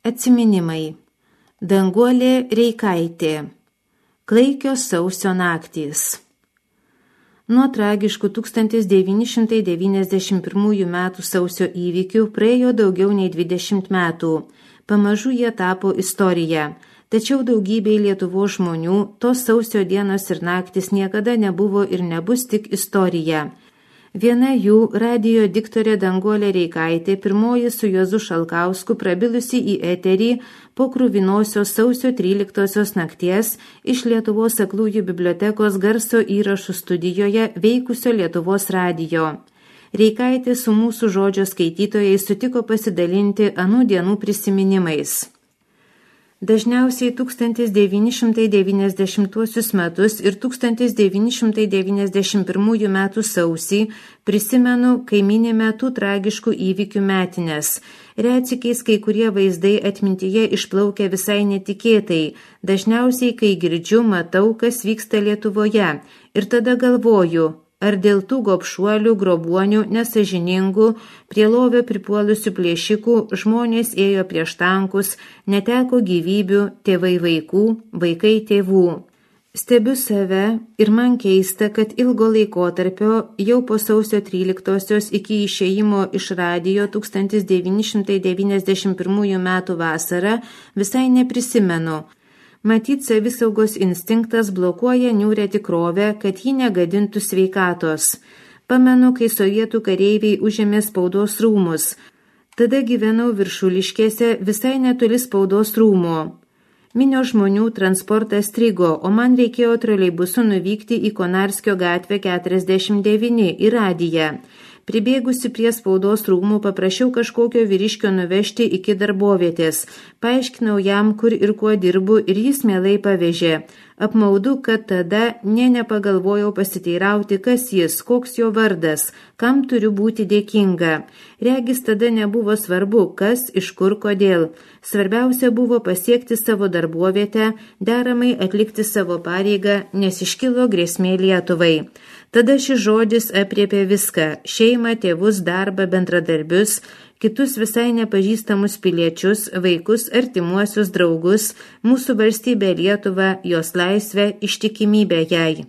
Atsiminimai. Danguolė Reikaitė. Klaikios sausio naktys. Nuo tragiškų 1991 metų sausio įvykių praėjo daugiau nei 20 metų. Pamažu jie tapo istorija. Tačiau daugybei Lietuvos žmonių tos sausio dienos ir naktis niekada nebuvo ir nebus tik istorija. Viena jų, radijo diktorė Danguolė Reikaitė, pirmoji su Juozu Šalkausku prabilusi į eterį po kruvinosios sausio 13 nakties iš Lietuvos aklųjų bibliotekos garso įrašų studijoje veikusio Lietuvos radijo. Reikaitė su mūsų žodžio skaitytojai sutiko pasidalinti anų dienų prisiminimais. Dažniausiai 1990 metus ir 1991 metų sausį prisimenu, kai minime tų tragiškų įvykių metines. Retsykiais kai kurie vaizdai atmintyje išplaukia visai netikėtai, dažniausiai kai girdžiu, matau, kas vyksta Lietuvoje ir tada galvoju, ar dėl tų gobšuolių, grobuonių, nesažiningų, prie lovio pripuolusių plėšikų žmonės ėjo prieš tankus, neteko gyvybių, tėvai vaikų, vaikai tėvų. Stebiu save ir man keista, kad ilgo laikotarpio jau po sausio 13 iki išėjimo iš radijo 1991 metų vasarą visai neprisimenu. Matyt, savisaugos instinktas blokuoja niūrę tikrovę, kad ji negadintų sveikatos. Pamenu, kai sovietų kareiviai užėmė spaudos rūmus. Tada gyvenau Viršuliškėse visai netoli spaudos rūmų. Minios žmonių transportas strigo, o man reikėjo troleibusu nuvykti į Konarskio gatvę 49 į radiją. Pribėgusi prie spaudos rūmų paprašiau kažkokio vyriškio nuvežti iki darbovietės. Paaiškinau jam, kur ir kuo dirbu, ir jis mielai pavežė. Apmaudu, kad tada nepagalvojau pasiteirauti, kas jis, koks jo vardas, kam turiu būti dėkinga. Regis tada nebuvo svarbu, kas, iš kur, kodėl. Svarbiausia buvo pasiekti savo darbovietę, deramai atlikti savo pareigą, nes iškilo grėsmė Lietuvai. Tada šis žodis apriepė viską – šeimą, tėvus, darbą, bendradarbius, kitus visai nepažįstamus piliečius, vaikus, artimuosius draugus, mūsų valstybę Lietuvą, jos laisvę, ištikimybę jai.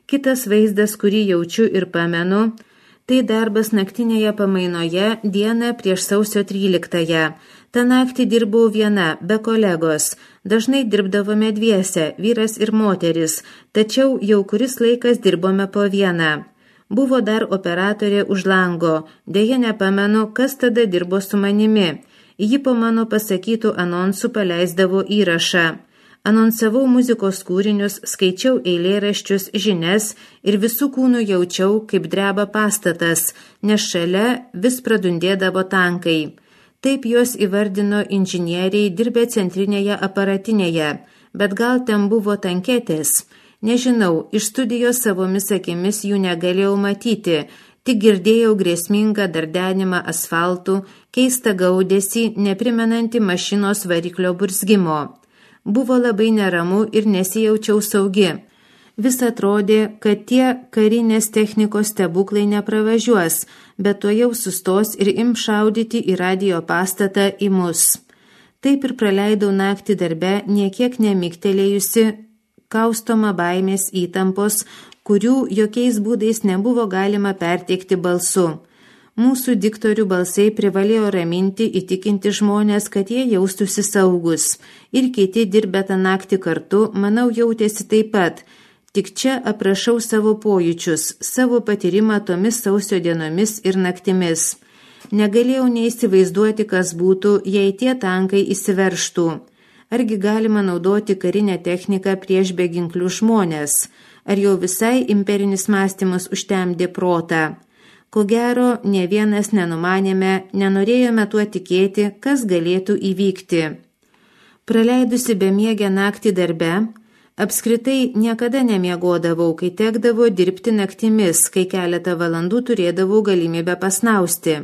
Kitas vaizdas, kurį jaučiu ir pamenu, tai darbas naktinėje pamainoje dieną prieš sausio 13-ąją. Ta naktį dirbau viena, be kolegos. Dažnai dirbdavome dviese, vyras ir moteris, tačiau jau kuris laikas dirbome po vieną. Buvo dar operatorė už lango, deja nepamenu, kas tada dirbo su manimi. Ji po mano pasakytų anonsų paleisdavo įrašą. Anonsavau muzikos kūrinius, skaičiau eilėraščius, žinias ir visų kūnų jaučiau, kaip dreba pastatas, nes šalia vis pradundėdavo tankai. Taip juos įvardino inžinieriai dirbę centrinėje aparatinėje, bet gal ten buvo tanketės. Nežinau, iš studijos savomis akimis jų negalėjau matyti, tik girdėjau grėsmingą dardenimą asfaltų, keistą gaudesį, neprimenantį mašinos variklio burzgimo. Buvo labai neramu ir nesijaučiau saugi. Vis atrodė, kad tie karinės technikos stebuklai nepravažiuos, bet to jau sustos ir ims šaudyti į radijo pastatą į mus. Taip ir praleidau naktį darbe, niekiek nemiktelėjusi, kaustoma baimės įtampos, kurių jokiais būdais nebuvo galima perteikti balsu. Mūsų diktorių balsai privalėjo raminti, įtikinti žmonės, kad jie jaustųsi saugus. Ir kiti dirbę tą naktį kartu, manau, jautėsi taip pat. Tik čia aprašau savo pojūčius, savo patyrimą tomis sausio dienomis ir naktimis. Negalėjau neįsivaizduoti, kas būtų, jei tie tankai įsiveržtų. Argi galima naudoti karinę techniką prieš beginklių žmonės? Ar jau visai imperinis mąstymas užtemdė protą? Ko gero, ne vienas nenumanėme, nenorėjome tuo tikėti, kas galėtų įvykti. Praleidusi bemiegę naktį darbe, apskritai niekada nemiegodavau, kai tekdavo dirbti naktimis, kai keletą valandų turėdavau galimybę pasnausti.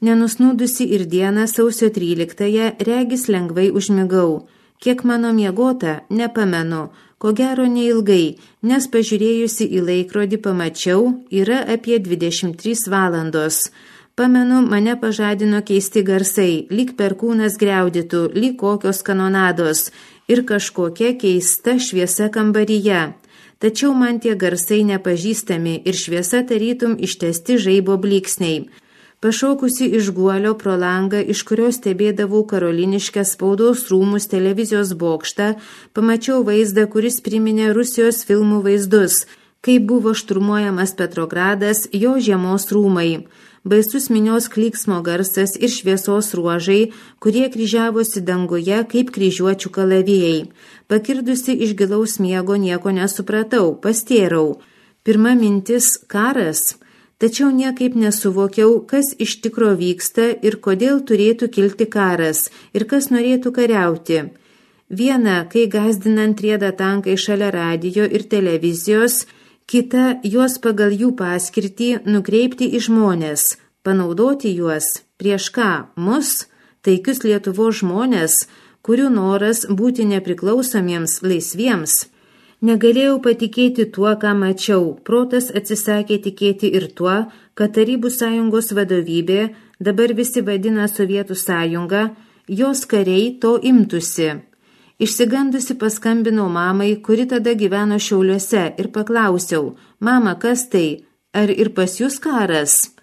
Nenusnūdusi ir dieną sausio 13-ąją regis lengvai užmigau. Kiek mano miegota, nepamenu, ko gero neilgai, nes pažiūrėjusi į laikrodį pamačiau, yra apie 23 valandos. Pamenu, mane pažadino keisti garsai, lyg perkūnas griaudytų, lyg kokios kanonados ir kažkokia keista šviesa kambaryje. Tačiau man tie garsai nepažįstami ir šviesa tarytum ištesti žaibo blyksniai. Pašaukusi iš guolio pro langą, iš kurio stebėdavau karoliniškę spaudos rūmus televizijos bokštą, pamačiau vaizdą, kuris priminė Rusijos filmų vaizdus, kai buvo šturmuojamas Petrogradas, jo žiemos rūmai. Baisus minios klyksmo garsas ir šviesos ruožai, kurie kryžiavosi danguje kaip kryžiuočių kalavijai. Pakirdusi iš gilaus miego nieko nesupratau, pastėrau. Pirma mintis – karas. Tačiau niekaip nesuvokiau, kas iš tikro vyksta ir kodėl turėtų kilti karas ir kas norėtų kariauti. Viena, kai gąsdinant rieda tankai šalia radijo ir televizijos, kita, juos pagal jų paskirtį nukreipti į žmonės, panaudoti juos. Prieš ką? Mus, taikius Lietuvos žmonės, kurių noras būti nepriklausomiems, laisviems. Negalėjau patikėti tuo, ką mačiau. Protas atsisakė tikėti ir tuo, kad Tarybų sąjungos vadovybė, dabar visi vadina Sovietų sąjungą, jos kariai to imtųsi. Išsigandusi paskambinau mamai, kuri tada gyveno Šiauliuose, ir paklausiau: mama, kas tai? Ar ir pas jūs karas?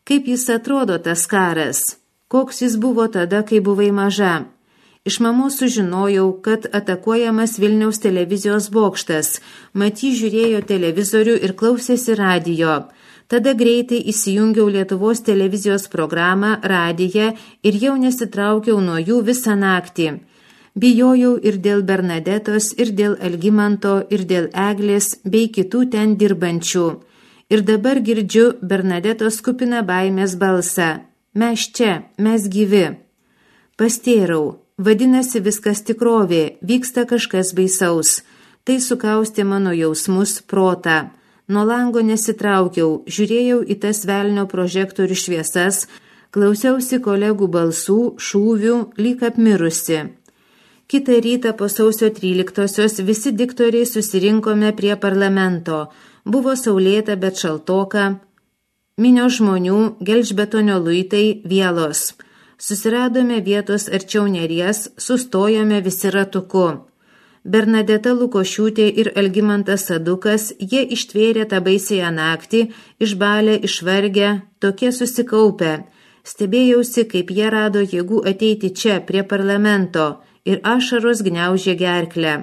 Kaip jis atrodo tas karas? Koks jis buvo tada, kai buvai maža? Iš mamos sužinojau, kad atakuojamas Vilniaus televizijos bokštas. Maty žiūrėjo televizorių ir klausėsi radijo. Tada greitai įsijungiau Lietuvos televizijos programą, radiją ir jau nesitraukiau nuo jų visą naktį. Bijojau ir dėl Bernadetos, ir dėl Algimanto, ir dėl Eglės, bei kitų ten dirbančių. Ir dabar girdžiu Bernadetos kupiną baimės balsą. Mes čia, mes gyvi. Pastėrau. Vadinasi, viskas tikrovė, vyksta kažkas baisaus. Tai sukaustė mano jausmus, protą. Nuo lango nesitraukiau, žiūrėjau į tas velnio prožektorių šviesas, klausiausi kolegų balsų, šūvių, lyg apmirusi. Kitą rytą po sausio 13-osios visi diktoriai susirinkome prie parlamento. Buvo saulėta, bet šaltoka. Minios žmonių, gelžbetonio luitai, vielos. Susiradome vietos arčiau Neries, sustojome visi ratuku. Bernadeta Lukošiūtė ir Algimantas Sadukas, jie ištvėrė tą baisėją naktį, išbalę, išvargę, tokie susikaupę. Stebėjausi, kaip jie rado jėgų ateiti čia, prie parlamento, ir ašaros gniaužė gerklę.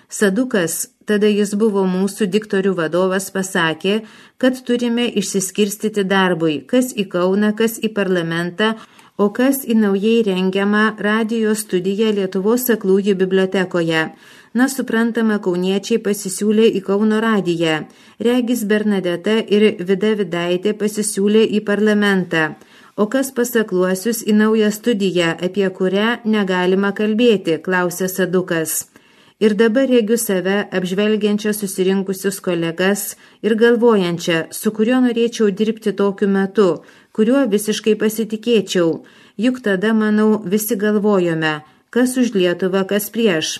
Sadukas, tada jis buvo mūsų diktorių vadovas, pasakė, kad turime išsiskirstyti darbui, kas į Kauną, kas į parlamentą, o kas į naujai rengiamą radijo studiją Lietuvos aklųjų bibliotekoje. Na, suprantama, kauniečiai pasisiūlė į Kauno radiją. Regis Bernadeta ir Vida Vidaitė pasisiūlė į parlamentą. O kas pasakluosius į naują studiją, apie kurią negalima kalbėti, klausė Sadukas. Ir dabar regiu save apžvelgiančią susirinkusius kolegas ir galvojančią, su kuriuo norėčiau dirbti tokiu metu, kuriuo visiškai pasitikėčiau. Juk tada, manau, visi galvojome, kas už Lietuvą, kas prieš.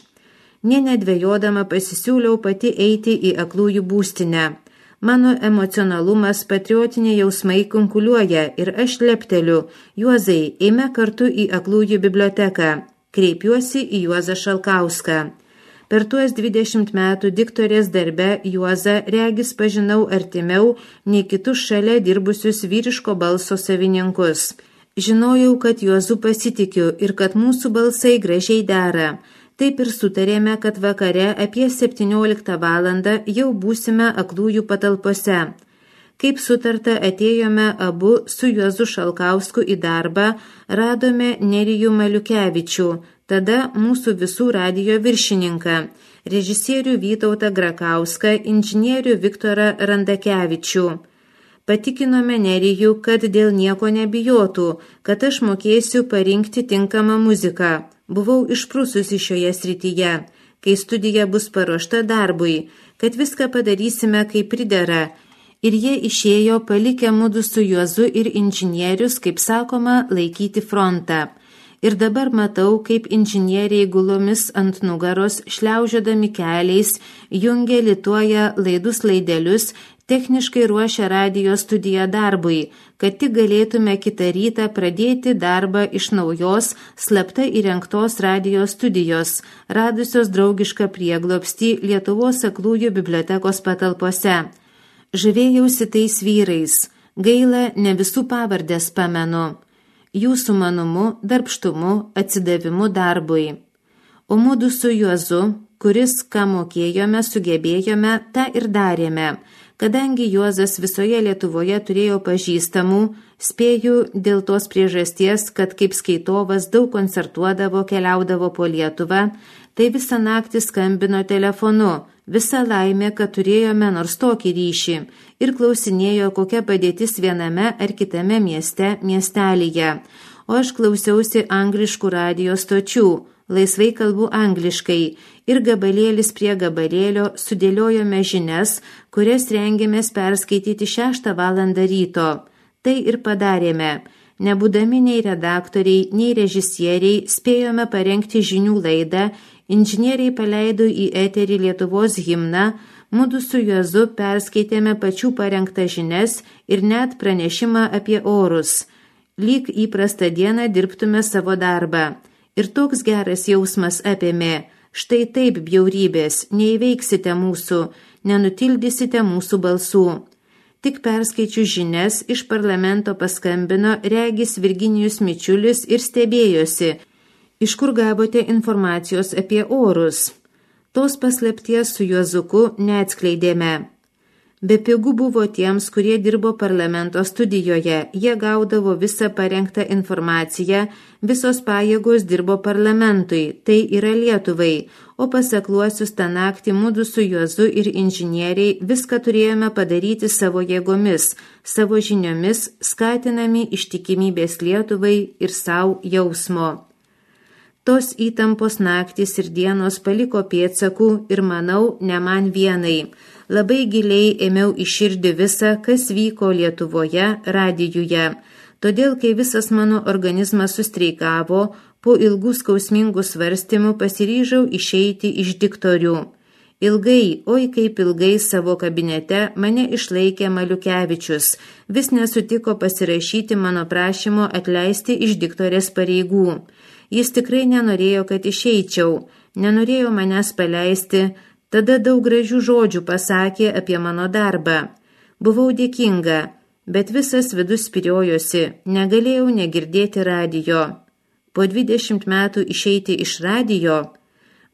Nė nedvejodama pasisiūliau pati eiti į aklųjų būstinę. Mano emocionalumas, patriotiniai jausmai kunkuliuoja ir aš lepteliu: Juozai, eime kartu į aklųjų biblioteką. Kreipiuosi į Juozą Šalkauską. Per tuos 20 metų diktorės darbe Juozą regis pažinau artimiau nei kitus šalia dirbusius vyriško balso savininkus. Žinojau, kad Juozu pasitikiu ir kad mūsų balsai gražiai dera. Taip ir sutarėme, kad vakare apie 17 valandą jau būsime aklųjų patalpose. Kaip sutarta, atėjome abu su Juozu Šalkausku į darbą, radome Nerijų Maliukevičių, tada mūsų visų radijo viršininką, režisierių Vytautą Grakauską, inžinierių Viktorą Randakevičių. Patikinome Nerijų, kad dėl nieko nebijotų, kad aš mokėsiu parinkti tinkamą muziką. Buvau išprususi šioje srityje, kai studija bus paruošta darbui, kad viską padarysime kaip pridera. Ir jie išėjo palikę mudu su Juozu ir inžinierius, kaip sakoma, laikyti frontą. Ir dabar matau, kaip inžinieriai gulomis ant nugaros, šliaužiodami keliais, jungia lituoja laidus laidelius, techniškai ruošia radijo studiją darbui, kad tik galėtume kitą rytą pradėti darbą iš naujos, slapta įrengtos radijo studijos, radusios draugišką prieglobstį Lietuvos aklųjų bibliotekos patalpose. Žavėjausi tais vyrais, gaila, ne visų pavardės pamenu, jų sumanumu, darbštumu, atsidavimu darbui. O mudu su Juozu, kuris, ką mokėjome, sugebėjome, tą ir darėme. Kadangi Juozas visoje Lietuvoje turėjo pažįstamų, spėju dėl tos priežasties, kad kaip skaitovas daug koncertuodavo, keliaudavo po Lietuvą, tai visą naktį skambino telefonu, visa laimė, kad turėjome nors tokį ryšį ir klausinėjo, kokia padėtis viename ar kitame miestelyje. O aš klausiausi angliškų radijo stočių, laisvai kalbu angliškai ir gabalėlis prie gabalėlio sudėliojome žinias, kurias rengėmės perskaityti 6 valandą ryto. Tai ir padarėme. Nebūdami nei redaktoriai, nei režisieriai, spėjome parengti žinių laidą, inžinieriai paleido į eterį Lietuvos himną, mudu su Juozu perskaitėme pačių parengtą žinias ir net pranešimą apie orus. Lyg įprastą dieną dirbtume savo darbą. Ir toks geras jausmas apėmė, štai taip bjaurybės, neįveiksite mūsų, nenutildysite mūsų balsų. Tik perskaičiu žinias, iš parlamento paskambino regis Virginijus Mičiulis ir stebėjosi, iš kur gavote informacijos apie orus. Tos paslapties su Juozuku neatskleidėme. Bepigu buvo tiems, kurie dirbo parlamento studijoje, jie gaudavo visą parengtą informaciją, visos pajėgos dirbo parlamentui, tai yra Lietuvai, o pasakluosius tą naktį mudu su Juozu ir inžinieriai viską turėjome padaryti savo jėgomis, savo žiniomis, skatinami ištikimybės Lietuvai ir savo jausmo. Tos įtampos naktys ir dienos paliko pėdsakų ir manau, ne man vienai. Labai giliai ėmiau į širdį visą, kas vyko Lietuvoje, radijuje. Todėl, kai visas mano organizmas sustreikavo, po ilgų skausmingų svarstymų pasiryžau išeiti iš diktorių. Ilgai, oi kaip ilgai savo kabinete mane išlaikė Maliukevičius, vis nesutiko pasirašyti mano prašymo atleisti iš diktorės pareigų. Jis tikrai nenorėjo, kad išeičiau, nenorėjo manęs paleisti, tada daug gražių žodžių pasakė apie mano darbą. Buvau dėkinga, bet visas vidus spiriojosi, negalėjau negirdėti radijo. Po 20 metų išeiti iš radijo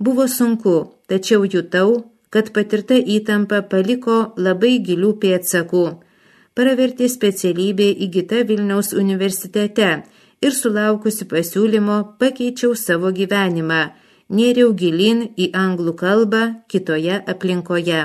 buvo sunku, tačiau jutau, kad patirta įtampa paliko labai gilių pėdsakų. Pravertė specialybė įgyta Vilniaus universitete ir sulaukusi pasiūlymo pakeičiau savo gyvenimą, nėriau gilin į anglų kalbą kitoje aplinkoje.